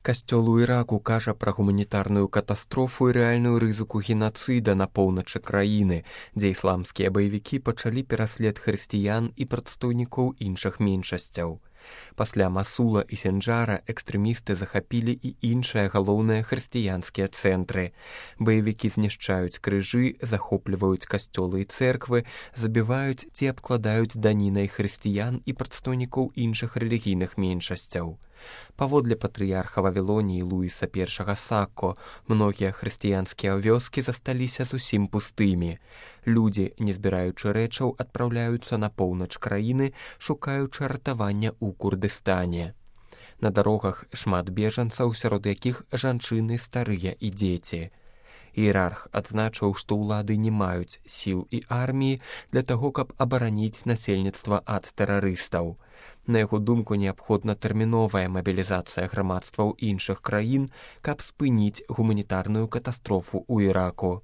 Касцёл у Іраку кажа пра гуманітарную катастрофу і рэальную рызыку генацыда на поўначы краіны, дзе ісламскія баевікі пачалі пераслед хрысціян і прадстаўнікоў іншых меншасцяў. Пасля Масула і Сінджара экстрэмісты захапілі і іншыя галоўныя хрысціянскія цэнтры. Баевікі знішчаюць крыжы, захопліваюць касцёлы і цэрквы, забіваюць ці абкладаюць данінай хрысціян і прадстаўнікоў іншых рэлігійных меншасцяў. Паводле патрыярха Вавілоніі Луіса I Сакко, многія хрысціянскія вёскі засталіся зусім пустымі. Людзі, не збіраючы рэчаў, адпраўляюцца на поўнач краіны, шукаючы ратавання ў Курдыстане. На дарогах шмат бежанцаў, сярод якіх жанчыны, старыя і дзеці. Іерарх адзначыў, што ўлады не маюць сіл і арміі для таго, каб абараніць насельніцтва ад тэрарыстаў. На яго думку, неабходна тэрміновая мабілізацыя грамадстваў іншых краін, каб спыніць гуманітарную катастрофу ў Іраку.